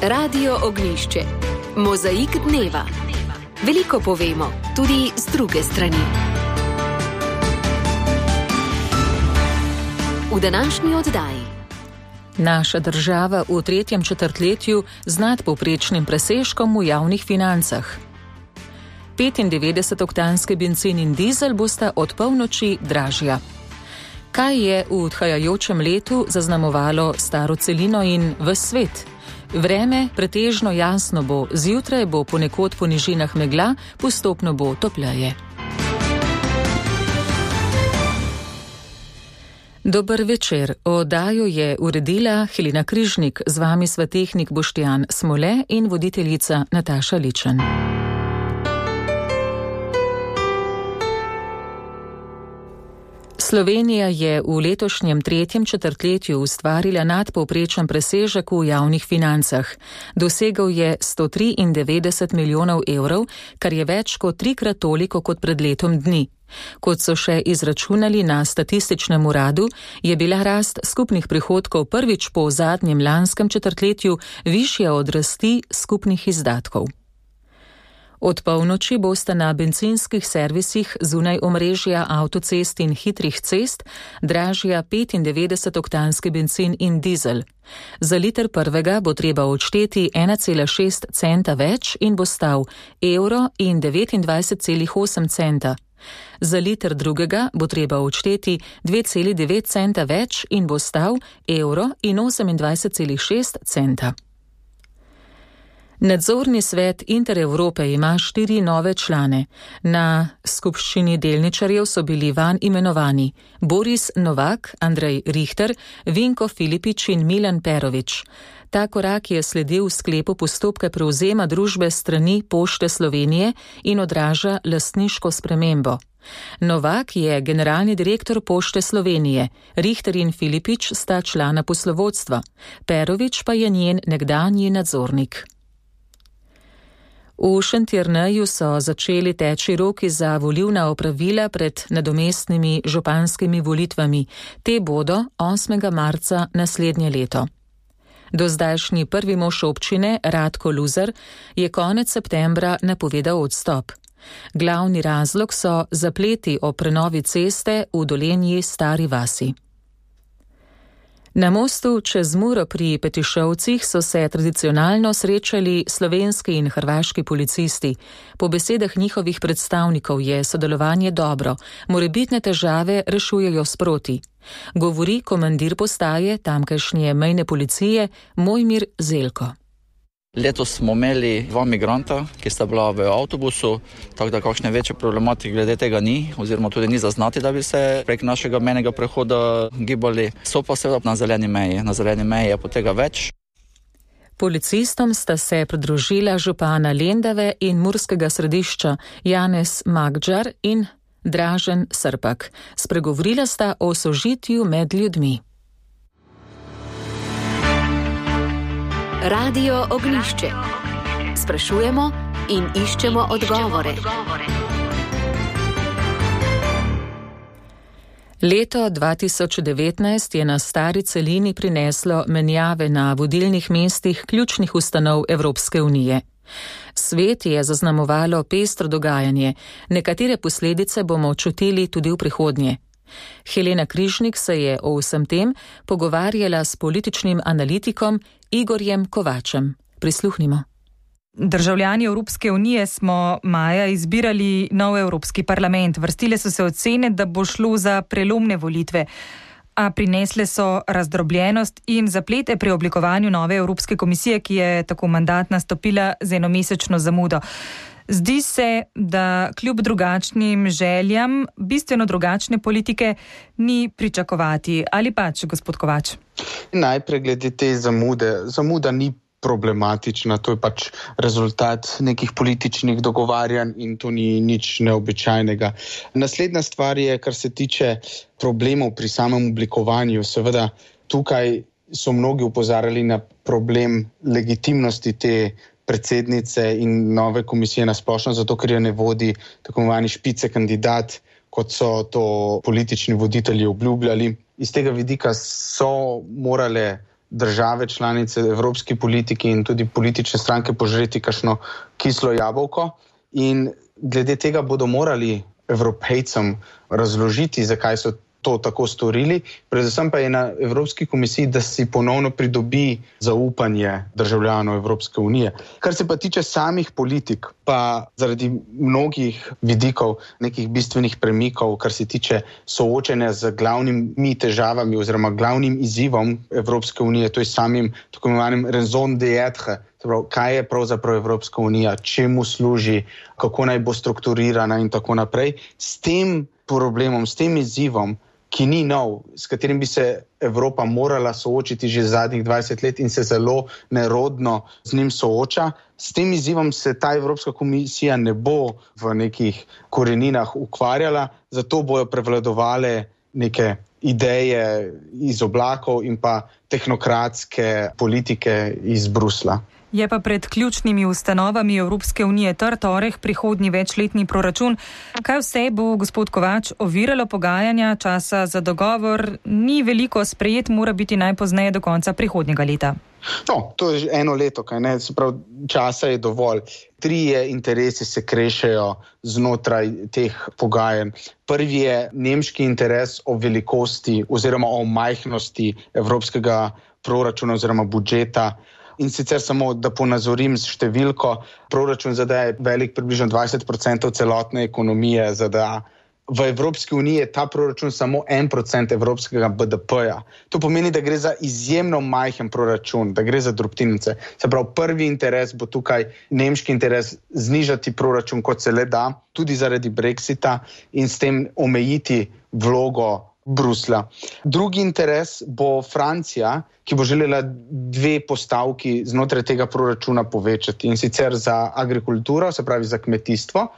Radio Ognjišče. Mozaik dneva. Veliko povemo, tudi z druge strani. V današnji oddaji. Naša država v tretjem četrtletju z nadpovprečnim presežkom v javnih financah. 95-oktanski bencin in dizel bosta od polnoči dražja. Kaj je v odhajajočem letu zaznamovalo staro celino in ves svet? Vreme pretežno jasno bo, zjutraj bo ponekod po nižinah megla, postopno bo topleje. Dober večer. Oddajo je uredila Helena Križnik, z vami sva tehnik Boštjan Smole in voditeljica Nataša Ličen. Slovenija je v letošnjem tretjem četrtletju ustvarila nadpovprečen presežek v javnih financah. Dosegel je 193 milijonov evrov, kar je več kot trikrat toliko kot pred letom dni. Kot so še izračunali na statističnem uradu, je bila rast skupnih prihodkov prvič po zadnjem lanskem četrtletju višja od rasti skupnih izdatkov. Od polnoči bosta na bencinskih servisih zunaj omrežja avtocest in hitrih cest dražja 95-oktanski bencin in dizel. Za liter prvega bo treba odšteti 1,6 centa več in bo stal €1,29,8. Za liter drugega bo treba odšteti 2,9 centa več in bo stal €1,28,6. Nadzorni svet Intereurope ima 4 nove člane. Na skupščini delničarjev so bili vanj imenovani Boris Novak, Andrej Richter, Vinko Filipič in Milan Perovič. Ta korak je sledil sklepu postopka prevzema družbe strani Pošte Slovenije in odraža lastniško spremembo. Novak je generalni direktor Pošte Slovenije, Richter in Filipič sta člana poslovodstva, Perovič pa je njen nekdanji nadzornik. V Šentjerneju so začeli teči roki za volilna opravila pred nadomestnimi županskimi volitvami. Te bodo 8. marca naslednje leto. Dozdajšnji prvi mož občine, Radko Luzar, je konec septembra napovedal odstop. Glavni razlog so zapleti o prenovi ceste v Dolenji Stari vasi. Na mostu čez Muro pri Petišovcih so se tradicionalno srečali slovenski in hrvaški policisti. Po besedah njihovih predstavnikov je sodelovanje dobro, morebitne težave rešujejo sproti. Govori komandir postaje tamkajšnje mejne policije Mojmir Zelko. Letos smo imeli 2 migranta, ki sta bila v avtobusu, tako da kakšne večje problematike glede tega ni, oziroma tudi ni zaznati, da bi se prek našega mejnega prehoda gibali. So pa seveda na zeleni meji. Na zeleni meji je po tega več. Policistom sta se pridružila župana Lendave in Murskega Središča Janez Magdžar in Dražen Srpak. Spregovorila sta o sožitju med ljudmi. Radio Ognjišče. Sprašujemo in iščemo odgovore. Leto 2019 je na stari celini prineslo menjave na vodilnih mestih ključnih ustanov Evropske unije. Svet je zaznamovalo pestro dogajanje, nekatere posledice bomo čutili tudi v prihodnje. Helena Križnik se je o vsem tem pogovarjala s političnim analitikom Igorjem Kovačem. Prisluhnimo. Državljani Evropske unije smo maja izbirali nov Evropski parlament. Vrstile so se ocene, da bo šlo za prelomne volitve, a prinesle so razdrobljenost in zaplete pri oblikovanju nove Evropske komisije, ki je tako mandat nastopila z enomesečno zamudo. Zdi se, da kljub drugačnim željam, bistveno drugačne politike ni pričakovati. Ali pač, gospod Kovač? Najprej glede te zamude. Zamuda ni problematična, to je pač rezultat nekih političnih dogovarjanj in to ni nič neobičajnega. Naslednja stvar je, kar se tiče problemov pri samem oblikovanju. Seveda, tukaj so mnogi opozarjali na problem legitimnosti te predsednice in nove komisije nasplošno, zato ker jo ne vodi tako imenovani špice kandidat, kot so to politični voditelji obljubljali. Iz tega vidika so morale države članice, evropski politiki in tudi politične stranke požreti kakšno kislo jabolko in glede tega bodo morali Evropejcem razložiti, zakaj so to tako storili. Predvsem pa je na Evropski komisiji, da si ponovno pridobi zaupanje državljanov Evropske unije. Kar se pa tiče samih politik, pa zaradi mnogih vidikov, nekih bistvenih premikov, kar se tiče soočenja z glavnimi težavami oziroma glavnim izzivom Evropske unije, to je samim tako imenovanim raison d'être, kaj je pravzaprav Evropska unija, čemu služi, kako naj bo strukturirana in tako naprej. S tem problemom, s tem izzivom, ki ni nov, s katerim bi se Evropa morala soočiti že zadnjih 20 let in se zelo nerodno z njim sooča. S tem izzivom se ta Evropska komisija ne bo v nekih koreninah ukvarjala, zato bojo prevladovale neke ideje iz oblakov in pa tehnokratske politike iz Brusla. Je pa pred ključnimi ustanovami Evropske unije torek prihodnji večletni proračun. Kaj vse bo, gospod Kovač, oviralo pogajanja, časa za dogovor ni veliko, sprejet mora biti najpozneje do konca prihodnjega leta? No, to je že eno leto, kaj ne, se pravi, časa je dovolj. 3 interesi se krešejo znotraj teh pogajanj. Prvi je nemški interes o velikosti oziroma o majhnosti evropskega proračuna oziroma budžeta. In sicer samo, da ponazorim s številko, proračun ZDA je velik približno 20% celotne ekonomije ZDA. V Evropski uniji je ta proračun samo 1% evropskega BDP-ja. To pomeni, da gre za izjemno majhen proračun, da gre za drobtinice. Se pravi, prvi interes bo tukaj nemški interes znižati proračun, kot se le da, tudi zaradi Brexita in s tem omejiti vlogo Brusla. Drugi interes bo Francija, ki bo želela 2 postavki znotraj tega proračuna povečati, in sicer za agrikulturo, se pravi za kmetijstvo,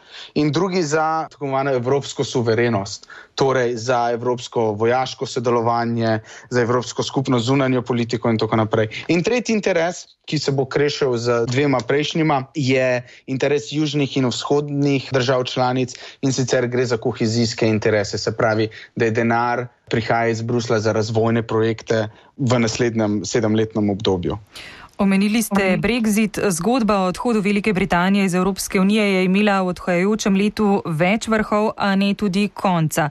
in drugi za tako imenovano evropsko suverenost, torej za evropsko vojaško sodelovanje, za evropsko skupno zunanjo politiko in tako naprej. In tretji interes, ki se bo krešil z 2 prejšnjima, je interes južnih in vzhodnih držav članic, in sicer gre za kohezijske interese, se pravi, da je denar prihaja iz Brusla za razvojne projekte v naslednjem 7-letnem obdobju. Omenili ste Brexit. Zgodba o odhodu Velike Britanije iz Evropske unije je imela v odhajajočem letu več vrhov, a ne tudi konca.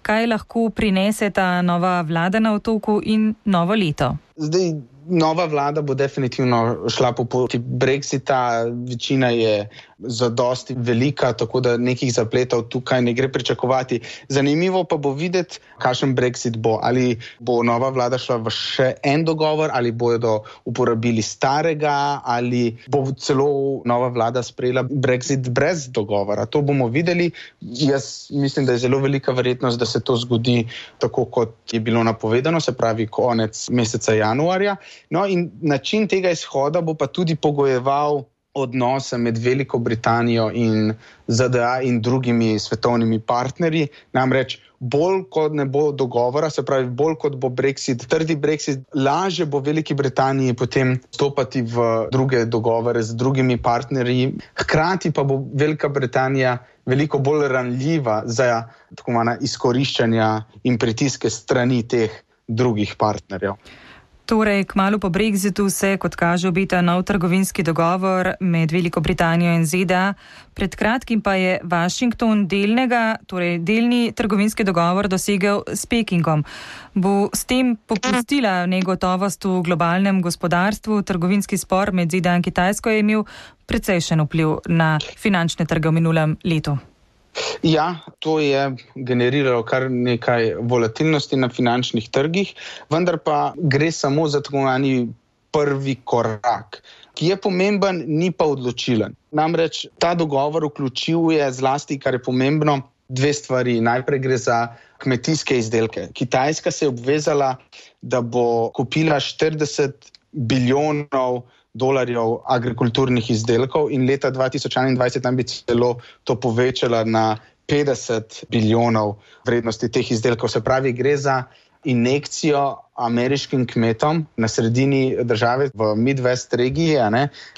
Kaj lahko prinese ta nova vlada na otoku in novo leto? Zdaj, nova vlada bo definitivno šla po poti Brexita, večina je zadosti velika, tako da nekih zapletov tukaj ne gre pričakovati. Zanimivo pa bo videti, kakšen Brexit bo. Ali bo nova vlada šla v še en dogovor, ali bodo uporabili starega, ali bo celo nova vlada sprejela Brexit brez dogovora. To bomo videli. Jaz mislim, da je zelo velika verjetnost, da se to zgodi tako, kot je bilo napovedano, se pravi konec meseca januarja. No in način tega izhoda bo pa tudi pogojeval odnose med Veliko Britanijo in ZDA in drugimi svetovnimi partnerji. Namreč bolj kot ne bo dogovora, se pravi bolj kot bo Brexit, trdi Brexit, lažje bo Veliki Britaniji potem stopati v druge dogovore z drugimi partnerji. Hkrati pa bo Velika Britanija veliko bolj ranljiva za tako imenovana izkoriščanja in pritiske strani teh drugih partnerjev. Torej, kmalu po Brexitu se, kot kaže, obeta nov trgovinski dogovor med Veliko Britanijo in ZDA. Pred kratkim pa je Washington delni trgovinski dogovor dosegel s Pekingom. Bo s tem popustila negotovost v globalnem gospodarstvu? Trgovinski spor med ZDA in Kitajsko je imel precejšen vpliv na finančne trge v minulem letu. Ja, to je generiralo kar nekaj volatilnosti na finančnih trgih, vendar pa gre samo za tako imenovani prvi korak, ki je pomemben, ni pa odločilen. Namreč ta dogovor vključuje zlasti, kar je pomembno, 2 stvari. Najprej gre za kmetijske izdelke. Kitajska se je obvezala, da bo kupila 40 bilijonov dolarjev agrikulturnih izdelkov in leta 2021 nam bi celo to povečala na 50 bilijonov vrednosti teh izdelkov. Se pravi, gre za injekcijo ameriškim kmetom na sredini države v Midwest regiji,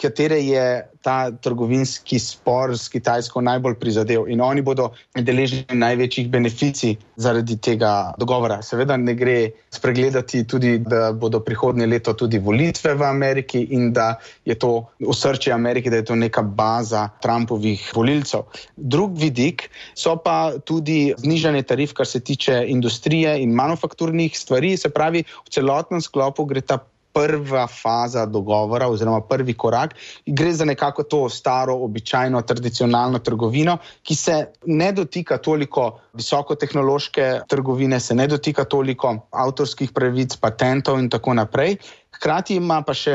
katere je ta trgovinski spor s Kitajsko najbolj prizadel in oni bodo deležni največjih beneficij zaradi tega dogovora. Seveda ne gre spregledati tudi, da bodo prihodnje leto tudi volitve v Ameriki in da je to osrčje Amerike, da je to neka baza Trumpovih volilcev. Drug vidik so pa tudi znižanje tarif, kar se tiče industrije in manufakturnih stvari, se pravi, v celotnem sklopu gre ta prva faza dogovora oziroma prvi korak. Gre za nekako to staro, običajno, tradicionalno trgovino, ki se ne dotika toliko visokotehnološke trgovine, se ne dotika toliko avtorskih pravic, patentov in tako naprej. Hkrati ima pa še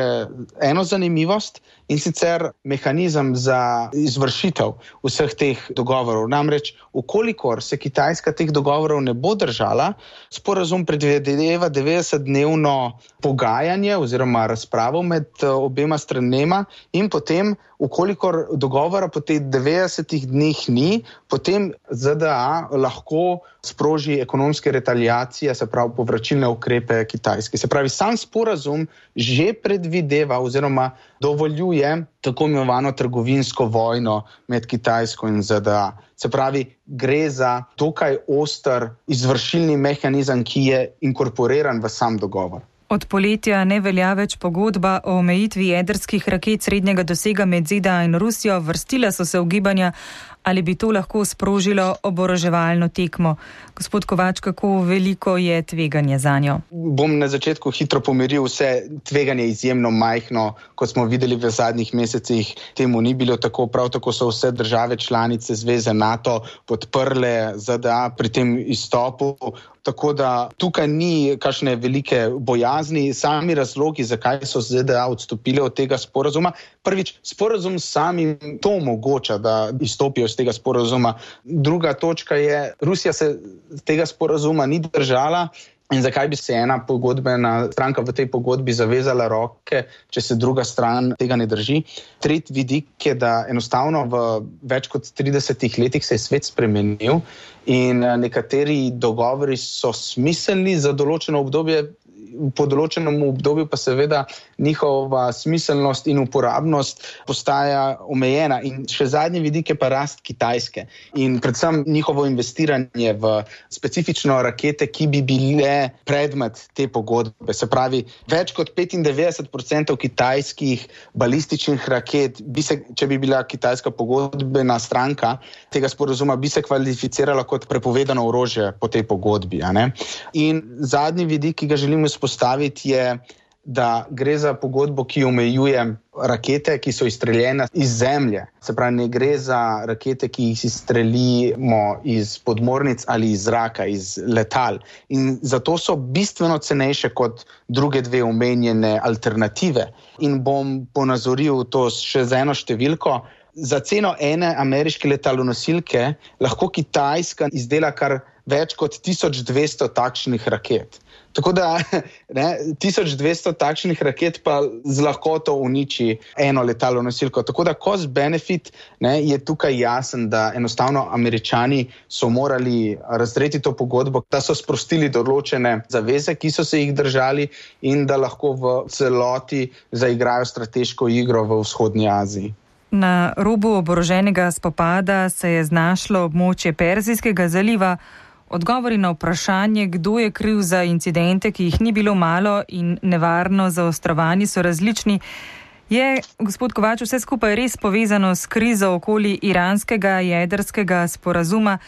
eno zanimivost in sicer mehanizem za izvršitev vseh teh dogovorov. Namreč, ukolikor se Kitajska teh dogovorov ne bo držala, sporazum predvideva 90-dnevno pogajanje oziroma razpravo med obema stranema in potem, ukolikor dogovora po teh 90 dneh ni, potem ZDA lahko sproži ekonomske retaliacije, se pravi povračilne ukrepe Kitajske. Se pravi, sam sporazum že predvideva oziroma dovoljuje tako imenovano trgovinsko vojno med Kitajsko in ZDA. Se pravi, gre za dokaj oster izvršilni mehanizem, ki je inkorporiran v sam dogovor. Od poletja ne velja več pogodba o omejitvi jedrskih raket srednjega dosega med ZDA in Rusijo. Vrstila so se ugibanja, ali bi to lahko sprožilo oboroževalno tekmo. Gospod Kovač, kako veliko je tveganje zanjo? Bom na začetku hitro pomiril vse. Tveganje je izjemno majhno, kot smo videli v zadnjih mesecih. Temu ni bilo tako. Prav tako so vse države članice zveze NATO podprle ZDA pri tem izstopu. Tako da tukaj ni kakšne velike bojazni. Sami razlogi, zakaj so ZDA odstopile od tega sporazuma. Prvič, sporazum samim to omogoča, da izstopijo z tega sporazuma. Druga točka je, Rusija se tega sporazuma ni držala. In zakaj bi se ena pogodbena stranka v tej pogodbi zavezala roke, če se druga stran tega ne drži? Tretji vidik je, da enostavno v več kot 30 letih se je svet spremenil in nekateri dogovori so smiselni za določeno obdobje, po določenem obdobju pa seveda njihova smiselnost in uporabnost postaja omejena. In še zadnji vidik je pa rast Kitajske in predvsem njihovo investiranje v specifično rakete, ki bi bile predmet te pogodbe. Se pravi, več kot 95% kitajskih balističnih raket, če bi bila Kitajska pogodbena stranka tega sporazuma, bi se kvalificirala kot prepovedano orožje po tej pogodbi. In zadnji vidik, ki ga želimo postaviti je, da gre za pogodbo, ki omejuje rakete, ki so izstreljene iz zemlje. Se pravi, ne gre za rakete, ki jih izstrelimo iz podmornic ali iz zraka, iz letal. In zato so bistveno cenejše kot druge dve omenjene alternative. In bom ponazoril to še z eno številko. Za ceno ene ameriške letalonosilke lahko Kitajska izdela kar več kot 1200 takšnih raket. Tako da 1200 takšnih raket pa z lahkoto uniči eno letalonosilko. Tako da cost benefit je tukaj jasen, da enostavno Američani so morali razdreti to pogodbo, da so sprostili določene zaveze, ki so se jih držali in da lahko v celoti zaigrajo strateško igro v vzhodnji Aziji. Na robu oboroženega spopada se je znašlo območje Perzijskega zaliva. Odgovori na vprašanje, kdo je kriv za incidente, ki jih ni bilo malo in nevarno zaostrovani, so različni. Je, gospod Kovač, vse skupaj res povezano s krizo okoli iranskega jedrskega sporazuma,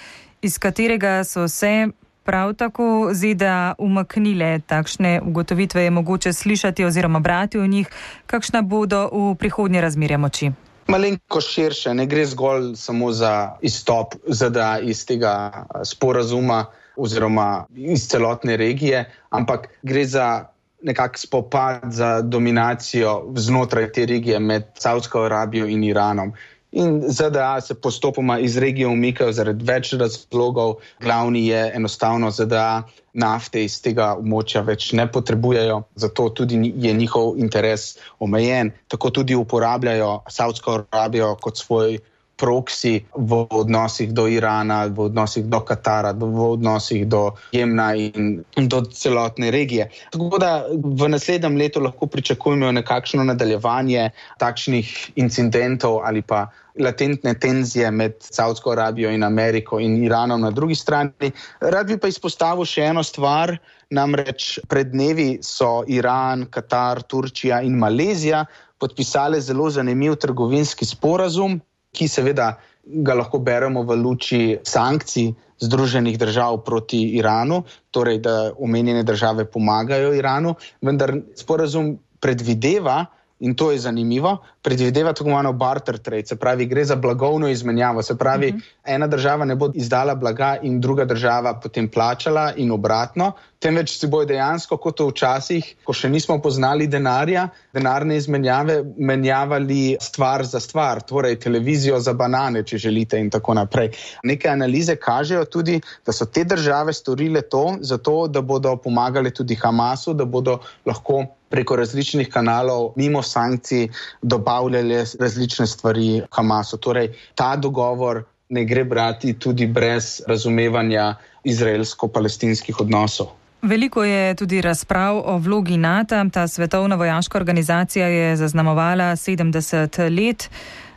iz katerega so se prav tako ZDA umaknile? Takšne ugotovitve je mogoče slišati oziroma brati o njih. Kakšna bodo v prihodnje razmerja moči? Malenko širše, ne gre zgolj samo za izstop ZDA iz tega sporazuma oziroma iz celotne regije, ampak gre za nekak spopad za dominacijo znotraj te regije med Savdsko Arabijo in Iranom. In ZDA se postopoma iz regije umikajo zaradi več razlogov. Glavni je enostavno ZDA nafte iz tega območja več ne potrebujejo, zato tudi je njihov interes omejen. Tako tudi uporabljajo Savdsko Arabijo kot svoj proksi v odnosih do Irana, v odnosih do Katara, v odnosih do Jemna in do celotne regije. Tako da v naslednjem letu lahko pričakujemo nekakšno nadaljevanje takšnih incidentov ali pa latentne tenzije med Saudsko Arabijo in Ameriko in Iranom na drugi strani. Rad bi pa izpostavil še eno stvar, namreč pred dnevi so Iran, Katar, Turčija in Malezija podpisale zelo zanimiv trgovinski sporazum, ki seveda ga lahko beremo v luči sankcij Združenih držav proti Iranu, torej da omenjene države pomagajo Iranu, vendar sporazum predvideva, in to je zanimivo, predvideva tako imenovano barter trade, se pravi, gre za blagovno izmenjavo, se pravi, ena država ne bo izdala blaga in druga država potem plačala in obratno, temveč si bojo dejansko, kot včasih, ko še nismo poznali denarja, denarne izmenjave, menjavali stvar za stvar, torej televizijo za banane, če želite in tako naprej. Neke analize kažejo tudi, da so te države storile to, zato da bodo pomagale tudi Hamasu, da bodo lahko preko različnih kanalov, mimo sankcij, dobavljali različne stvari Hamasu. Torej, ta dogovor ne gre brati tudi brez razumevanja izraelsko-palestinskih odnosov. Veliko je tudi razprav o vlogi NATO. Ta svetovna vojaška organizacija je zaznamovala 70 let.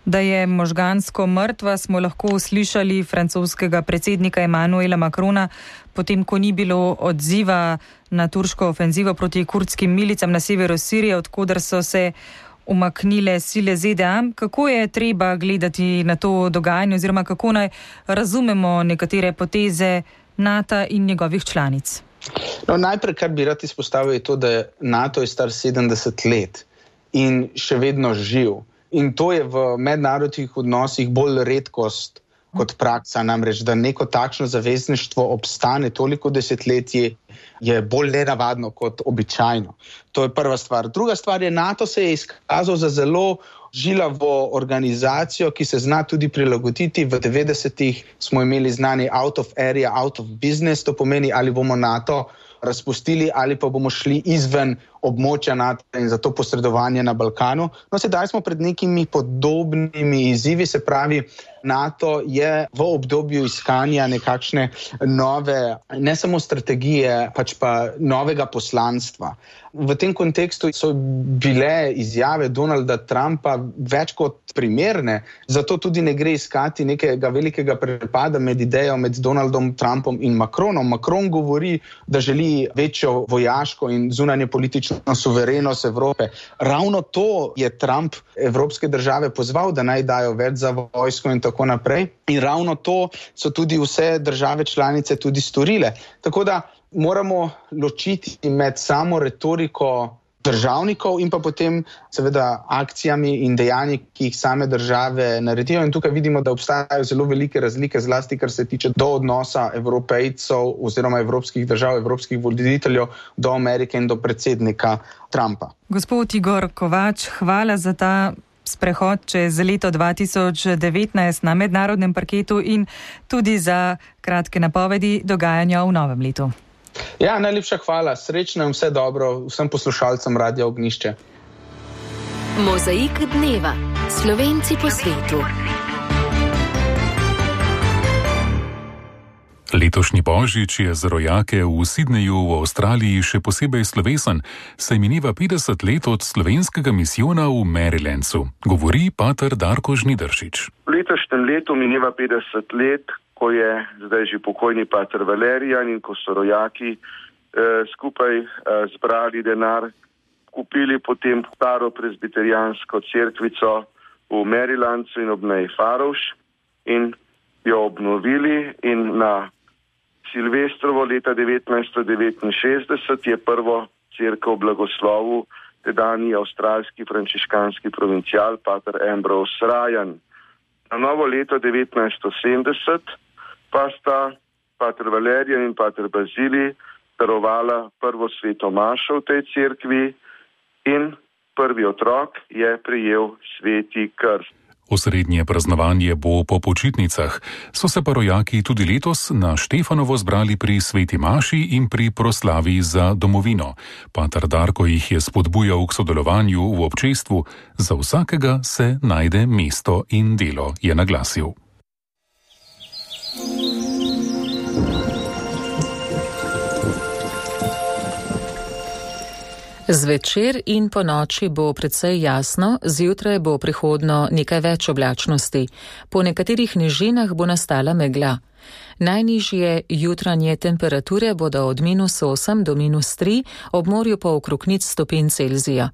Da je možgansko mrtva, smo lahko slišali francoskega predsednika Emmanuela Macrona, potem ko ni bilo odziva na turško ofenzivo proti kurdskim milicam na severu Sirije, odkudar so se umaknile sile ZDA. Kako je treba gledati na to dogajanje oziroma kako naj razumemo nekatere poteze NATO in njegovih članic? No, najprej, kar bi rad izpostavil, je to, da NATO je star 70 let in še vedno živ. In to je v mednarodnih odnosih bolj redkost kot praksa, namreč, da neko takšno zavezništvo obstane toliko desetletij, je bolj nenavadno kot običajno. To je prva stvar. Druga stvar je, NATO se je izkazal za zelo žilavo organizacijo, ki se zna tudi prilagoditi. V 90-ih smo imeli znani out of area, out of business, to pomeni, ali bomo NATO razpustili ali pa bomo šli izven območja NATO in zato posredovanje na Balkanu. No, sedaj smo pred nekimi podobnimi izzivi, se pravi, NATO je v obdobju iskanja nekakšne nove, ne samo strategije, pač pa novega poslanstva. V tem kontekstu so bile izjave Donalda Trumpa več kot primerne, zato tudi ne gre iskati nekega velikega prepada med idejo med Donaldom Trumpom in Macronom. Macron govori, da želi večjo vojaško in zunanje politično suverenost Evrope. Ravno to je Trump evropske države pozval, da naj dajo več za vojsko in tako naprej. In ravno to so tudi vse države članice tudi storile. Tako da moramo ločiti med samo retoriko državnikov in pa potem seveda akcijami in dejanji, ki jih same države naredijo. In tukaj vidimo, da obstajajo zelo velike razlike, zlasti kar se tiče do odnosa Evropejcev oziroma evropskih držav, evropskih voditeljev do Amerike in do predsednika Trumpa. Gospod Igor Kovač, hvala za ta sprehod čez leto 2019 na mednarodnem parketu in tudi za kratke napovedi dogajanja v novem letu. Ja, najlepša hvala. Srečno in vse dobro vsem poslušalcem Radia Ognjišče. Mozaik dneva. Slovenci po svetu. Letošnji božič je za rojake v Sydneyju v Avstraliji še posebej slovesen, saj mineva 50 let od slovenskega misijona v Marylandu. Govori pater Darko Žnidaršič. V letošnjem letu mineva 50 let, ko je zdaj že pokojni pater Valerijan in ko so rojaki skupaj zbrali denar, kupili potem staro presbiterijansko cerkvico v Marylandu in ob meji Farovš in jo obnovili in na Silvestrovo leta 1969 je prvo cerkev blagoslovil tedanji avstralski frančiškanski provincial pater Ambrose Ryan. Na novo leto 1970 pa sta pater Valerijan in pater Bazilij darovala prvo sveto mašo v tej cerkvi in prvi otrok je prejel sveti krst. Osrednje praznovanje bo po počitnicah, so se pa rojaki tudi letos na Štefanovo zbrali pri sveti maši in pri proslavi za domovino. Pater Darko jih je spodbujal k sodelovanju v občestvu, za vsakega se najde mesto in delo, je naglasil. Zvečer in po noči bo precej jasno, zjutraj bo prihodno nekaj več oblačnosti. Po nekaterih nižinah bo nastala megla. Najnižje jutranje temperature bodo od -8 do -3, ob morju pa okrog 0 stopinj Celzija.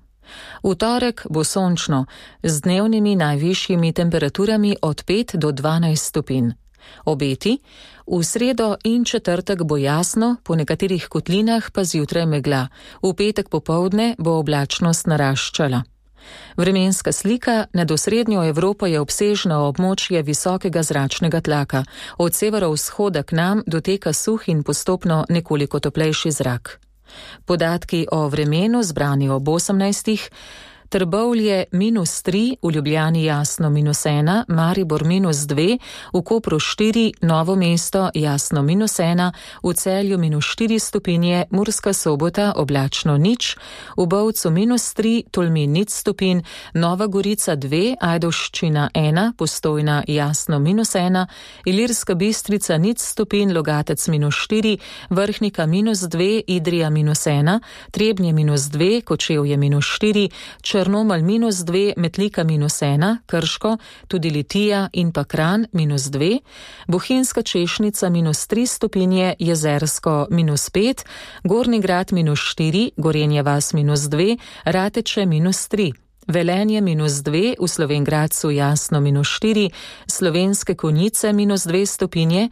V torek bo sončno, z dnevnimi najvišjimi temperaturami od 5 do 12 stopinj. Obeti: v sredo in četrtek bo jasno, po nekaterih kotlinah pa zjutraj megla. V petek popoldne bo oblačnost naraščala. Vremenska slika nad osrednjo Evropo je obsežno območje visokega zračnega tlaka. Od severovzhoda k nam doteka suh in postopno nekoliko toplejši zrak. Podatki o vremenu zbrani ob 18. Trbovlje -3, v Ljubljani jasno -1, Maribor -2, v Kopru 4, Novo mesto jasno -1, v Celju -4 stopinje, Murska Sobota oblačno 0, v Bovcu -3, Tolmin 0 stopinj, Nova Gorica 2, Ajdovščina 1, Postojna jasno -1, Ilirska Bistrica 0 stopinj, Logatec -4, Vrhnika -2, Idrija -1, Trebnje -2, Kočevje -4, Črnomelj -2, Metlika -1, Krško, tudi Litija in pa Kranj -2, Bohinjska Češnica -3 stopinje, Jezersko -5, Gornji Grad -4, Gorenje vas -2, Rateče -3. Velenje -2, v Slovenj Gradcu jasno -4, Slovenske Konjice -2 stopinje,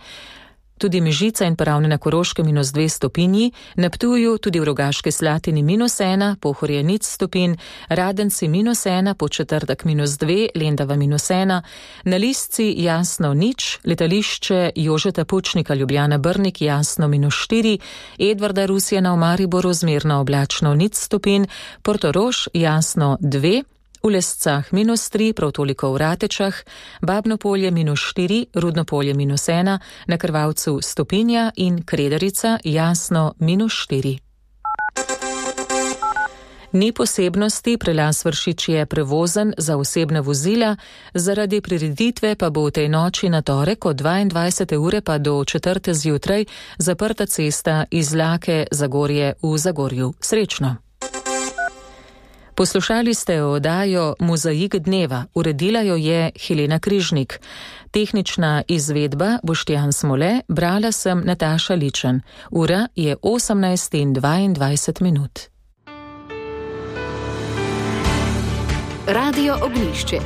tudi Mežica in Ravne na Koroškem -2 stopinji, na Ptuju tudi v Rogaški Slatini -1, Pohorje 0 stopinj, Radenci -1, Podčetrtek -2, Lendava -1, na Lisci jasno 0, letališče Jožeta Pučnika Ljubljana Brnik jasno -4, Edvarda Rusjana v Mariboru zmerno oblačno 0 stopinj, Portorož jasno 2, v Lescah -3, prav toliko v Ratečah, Babnopolje -4, Rudnopolje -1, na Krvavcu stopinja in Kredarica jasno -4. Ni posebnosti, prelaz Vršič je prevozen za osebna vozila, zaradi prireditve pa bo v tej noči na torek od 22. ure pa do 4. zjutraj zaprta cesta iz Lake Zagorje v Zagorju. Srečno! Poslušali ste oddajo Mozaik dneva, uredila jo je Helena Križnik. Tehnična izvedba Boštjan Smole, brala sem Nataša Ličen. Ura je 18:22. Radio Ognjišče.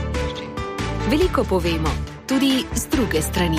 Veliko povemo, tudi z druge strani.